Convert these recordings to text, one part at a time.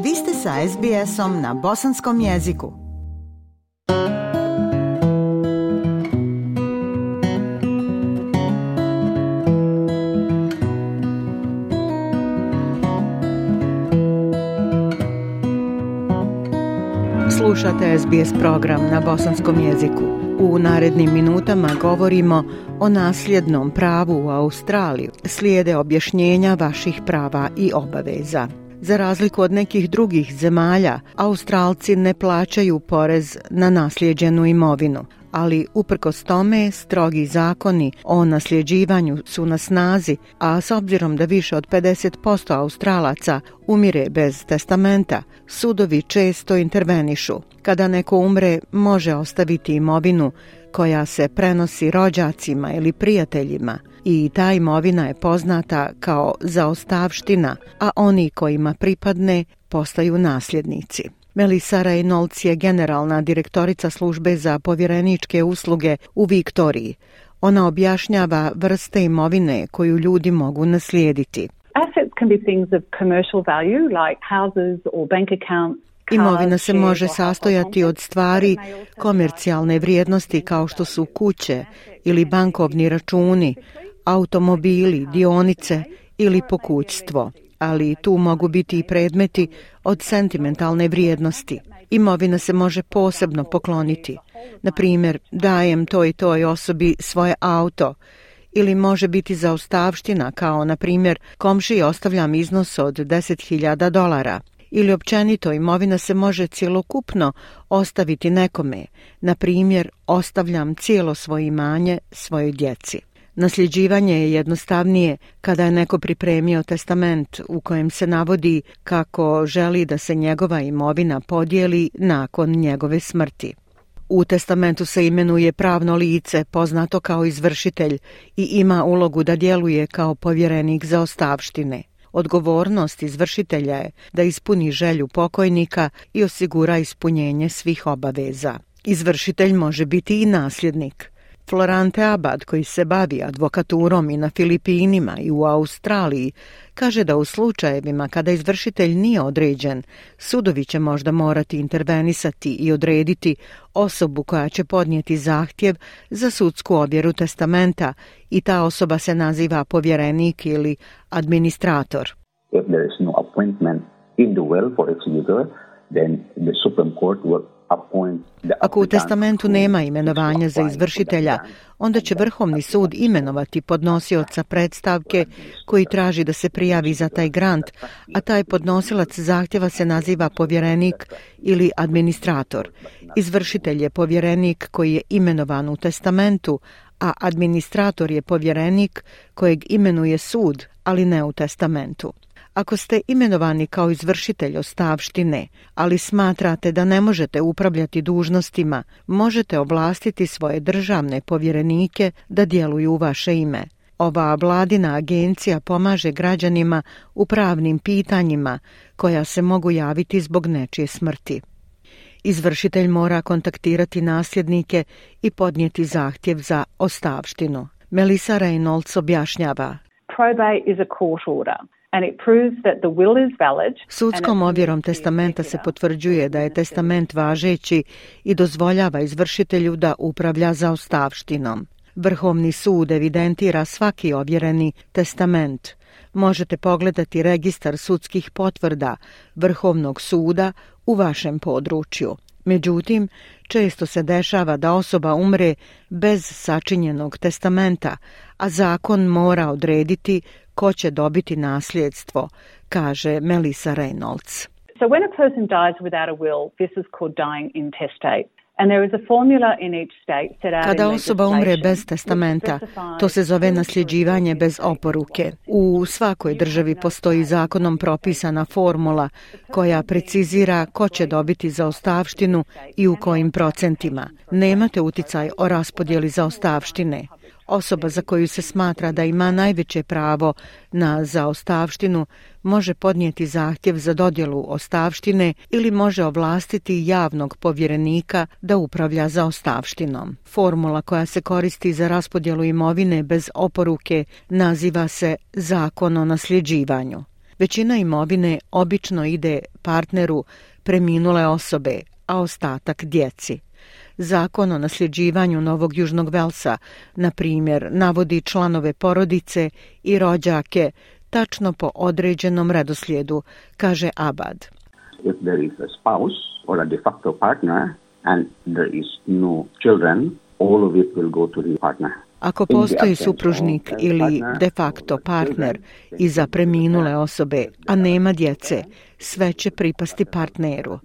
Vi ste sa SBS-om na bosanskom jeziku. Slušate SBS program na bosanskom jeziku. U narednim minutama govorimo o nasljednom pravu u Australiji. Slijede objašnjenja vaših prava i obaveza. Za razliku od nekih drugih zemalja, Australci ne plaćaju porez na naslijeđenu imovinu, ali uprkos tome strogi zakoni o nasljeđivanju su na snazi, a s obzirom da više od 50% Australaca umire bez testamenta, sudovi često intervenišu. Kada neko umre, može ostaviti imovinu koja se prenosi rođacima ili prijateljima i ta imovina je poznata kao zaostavština, a oni kojima pripadne postaju nasljednici. Melissa Reynolds je generalna direktorica službe za povjereničke usluge u Viktoriji. Ona objašnjava vrste imovine koju ljudi mogu naslijediti. Assets can be things of commercial value like houses or bank accounts. Imovina se može sastojati od stvari komercijalne vrijednosti kao što su kuće ili bankovni računi, automobili, dionice ili pokućstvo, ali tu mogu biti i predmeti od sentimentalne vrijednosti. Imovina se može posebno pokloniti. Na primjer, dajem toj i toj osobi svoje auto, ili može biti zaostavština kao, na primjer, komšiji ostavljam iznos od $10,000. Ili općenito imovina se može cjelokupno ostaviti nekome, na primjer, ostavljam cijelo svoje imanje svojoj djeci. Nasljeđivanje je jednostavnije kada je neko pripremio testament u kojem se navodi kako želi da se njegova imovina podijeli nakon njegove smrti. U testamentu se imenuje pravno lice, poznato kao izvršitelj, i ima ulogu da djeluje kao povjerenik zaostavštine. Odgovornost izvršitelja je da ispuni želju pokojnika i osigura ispunjenje svih obaveza. Izvršitelj može biti i nasljednik. Florante Abad, koji se bavi advokaturom i na Filipinima i u Australiji, kaže da u slučajevima kada izvršitelj nije određen, sudovi će možda morati intervenisati i odrediti osobu koja će podnijeti zahtjev za sudsku ovjeru testamenta i ta osoba se naziva povjerenik ili administrator. If there is no appointment in the will for executor, then the Supreme Court will appoint the Ako u testamentu nema imenovanja za izvršitelja, onda će Vrhovni sud imenovati podnosioca predstavke koji traži da se prijavi za taj grant, a taj podnosilac zahtjeva se naziva povjerenik ili administrator. Izvršitelj je povjerenik koji je imenovan u testamentu, a administrator je povjerenik kojeg imenuje sud, ali ne u testamentu. Ako ste imenovani kao izvršitelj ostavštine, ali smatrate da ne možete upravljati dužnostima, možete ovlastiti svoje državne povjerenike da djeluju u vaše ime. Ova vladina agencija pomaže građanima u pravnim pitanjima koja se mogu javiti zbog nečije smrti. Izvršitelj mora kontaktirati nasljednike i podnijeti zahtjev za ostavštinu. Melissa Reynolds objašnjava. Probate is a court order. Sudskom ovjerom testamenta se potvrđuje da je testament važeći i dozvoljava izvršitelju da upravlja zaostavštinom. Vrhovni sud evidentira svaki ovjereni testament. Možete pogledati registar sudskih potvrda Vrhovnog suda u vašem području. Međutim, često se dešava da osoba umre bez sačinjenog testamenta, a zakon mora odrediti ko će dobiti nasljedstvo, kaže Melissa Reynolds. So when a person dies without a will, this is called dying intestate. Kada osoba umre bez testamenta, to se zove nasljeđivanje bez oporuke. U svakoj državi postoji zakonom propisana formula koja precizira ko će dobiti zaostavštinu i u kojim procentima. Nemate uticaj o raspodjeli zaostavštine. Osoba za koju se smatra da ima najveće pravo na zaostavštinu može podnijeti zahtjev za dodjelu ostavštine ili može ovlastiti javnog povjerenika da upravlja zaostavštinom. Formula koja se koristi za raspodjelu imovine bez oporuke naziva se Zakon o nasljeđivanju. Većina imovine obično ide partneru preminule osobe, a ostatak djeci. Zakon o nasljeđivanju Novog Južnog Velsa, na primjer, navodi članove porodice i rođake tačno po određenom redoslijedu, kaže Abad. If there is a spouse or a de facto partner and there is no children, all of it will go to the partner. Ako postoji supružnik ili de facto partner iza preminule osobe, a nema djece, sve će pripasti partneru.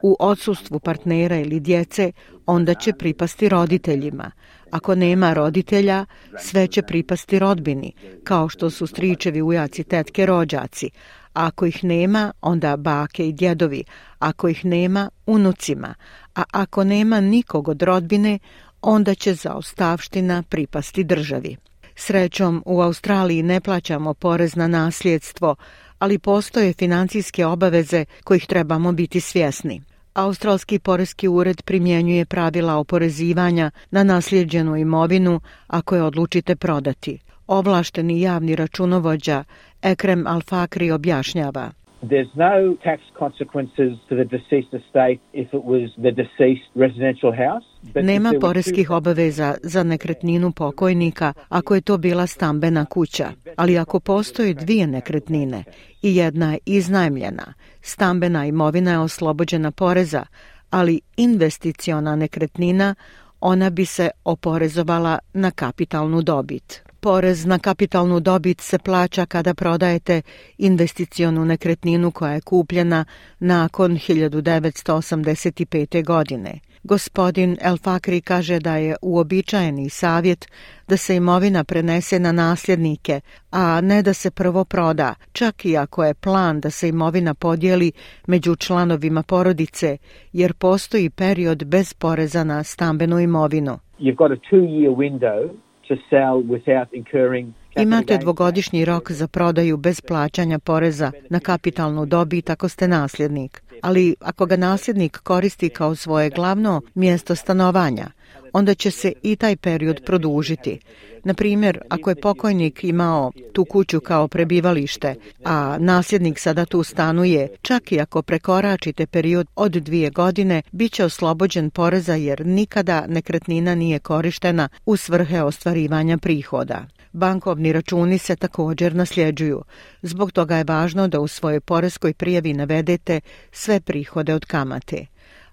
U odsustvu partnera ili djece, onda će pripasti roditeljima. Ako nema roditelja, sve će pripasti rodbini, kao što su stričevi, ujaci, tetke, rođaci. A ako ih nema, onda bake i djedovi. Ako ih nema, unucima. A ako nema nikog od rodbine, onda će zaostavština pripasti državi. Srećom, u Australiji ne plaćamo porez na nasljedstvo, ali postoje financijske obaveze kojih trebamo biti svjesni. Australski poreski ured primjenjuje pravila oporezivanja na naslijeđenu imovinu ako je odlučite prodati. Ovlašteni javni računovođa Ekrem Al-Fakri objašnjava. There's no tax consequences to the deceased estate if it was the deceased residential house. Nema poreskih obaveza za nekretninu pokojnika ako je to bila stambena kuća, ali ako postoje dvije nekretnine i jedna je iznajmljena, stambena imovina je oslobođena poreza, ali investiciona nekretnina, ona bi se oporezovala na kapitalnu dobit. Porez na kapitalnu dobit se plaća kada prodajete investicionu nekretninu koja je kupljena nakon 1985. godine. Gospodin El Fakri kaže da je uobičajeni savjet da se imovina prenese na nasljednike, a ne da se prvo proda, čak i ako je plan da se imovina podijeli među članovima porodice, jer postoji period bez poreza na stambenu imovinu. You've got a 2-year window to sell without incurring. Imate dvogodišnji rok za prodaju bez plaćanja poreza na kapitalnu dobit ako ste nasljednik. Ali ako ga nasljednik koristi kao svoje glavno mjesto stanovanja, onda će se i taj period produžiti. Na primjer, ako je pokojnik imao tu kuću kao prebivalište, a nasljednik sada tu stanuje, čak i ako prekoračite period od 2 godine, bit će oslobođen poreza jer nikada nekretnina nije korištena u svrhe ostvarivanja prihoda. Bankovni računi se također nasljeđuju. Zbog toga je važno da u svojoj poreskoj prijavi navedete sve prihode od kamate.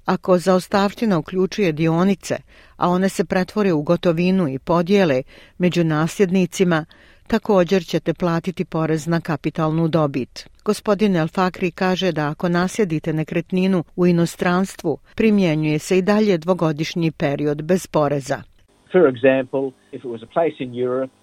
Ako zaostavština uključuje dionice, a one se pretvore u gotovinu i podijele među nasljednicima, također ćete platiti porez na kapitalnu dobit. Gospodin El Fakri kaže da ako naslijedite nekretninu u inostranstvu, primjenjuje se i dalje dvogodišnji period bez poreza. For example, if it was a place in Europe,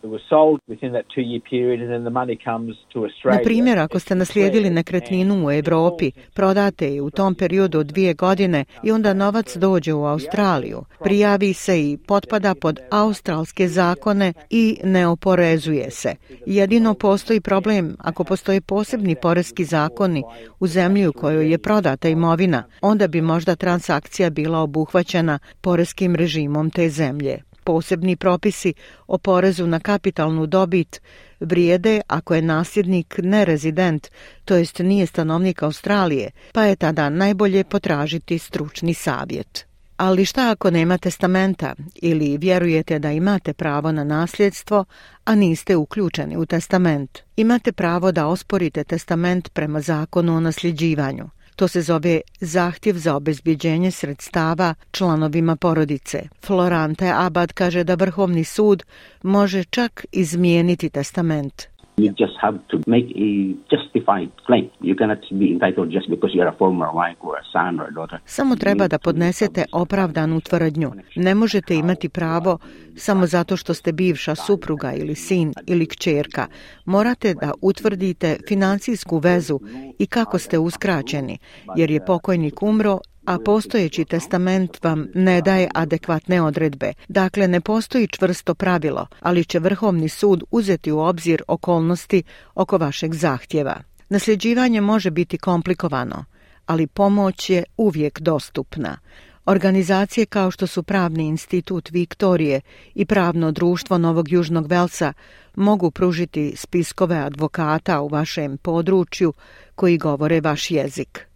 it was sold within that 2-year period and then the money comes to Australia. Na primjer, ako ste naslijedili nekretninu u Europi, prodate je u tom periodu od 2 godine i onda novac dođe u Australiju, prijavi se i potpada pod australske zakone i ne oporezuje se. Jedino postoji problem ako postoje posebni poreski zakoni u zemlji u kojoj je prodata imovina, onda bi možda transakcija bila obuhvaćena poreskim režimom te zemlje. Posebni propisi o porezu na kapitalnu dobit vrijede ako je nasljednik nerezident, to jest nije stanovnik Australije, pa je tada najbolje potražiti stručni savjet. Ali šta ako nema testamenta ili vjerujete da imate pravo na nasljedstvo, a niste uključeni u testament? Imate pravo da osporite testament prema zakonu o nasljeđivanju. To se zove zahtjev za obezbjeđenje sredstava članovima porodice. Florante Abad kaže da Vrhovni sud može čak izmijeniti testament. You just have to make a justified claim. You cannot be entitled just because you're a former wife or a son or a daughter. Samo treba da podnesete opravdanu tvrdnju. Ne možete imati pravo samo zato što ste bivša supruga ili sin ili kćerka. Morate da utvrdite financijsku vezu i kako ste uskraćeni, jer je pokojnik umro, a postojeći testament vam ne daje adekvatne odredbe. Dakle, ne postoji čvrsto pravilo, ali će Vrhovni sud uzeti u obzir okolnosti oko vašeg zahtjeva. Nasljeđivanje može biti komplikovano, ali pomoć je uvijek dostupna. Organizacije kao što su Pravni institut Viktorije i Pravno društvo Novog Južnog Velsa mogu pružiti spiskove advokata u vašem području koji govore vaš jezik.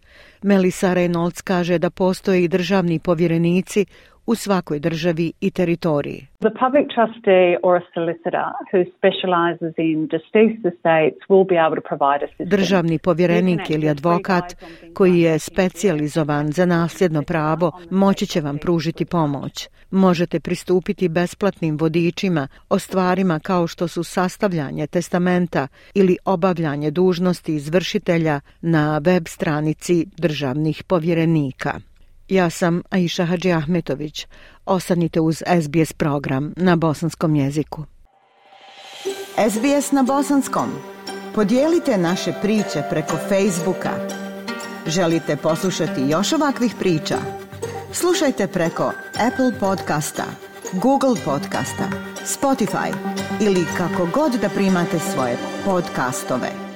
Melissa Reynolds kaže da postoje i državni povjerenici u svakoj državi i teritoriji. The public trustee or a solicitor who specializes in deceased estates will be able to provide assistance. Državni povjerenik ili advokat koji je specijalizovan za nasljedno pravo moći će vam pružiti pomoć. Možete pristupiti besplatnim vodičima o stvarima kao što su sastavljanje testamenta ili obavljanje dužnosti izvršitelja na web stranici državnih povjerenika. Ja sam Aisha Hadži Ahmetović. Ostanite uz SBS program na bosanskom jeziku. SBS na bosanskom. Podijelite naše priče preko Facebooka. Želite poslušati još ovakvih priča? Slušajte preko Apple podcasta, Google podcasta, Spotify ili kako god da primate svoje podcastove.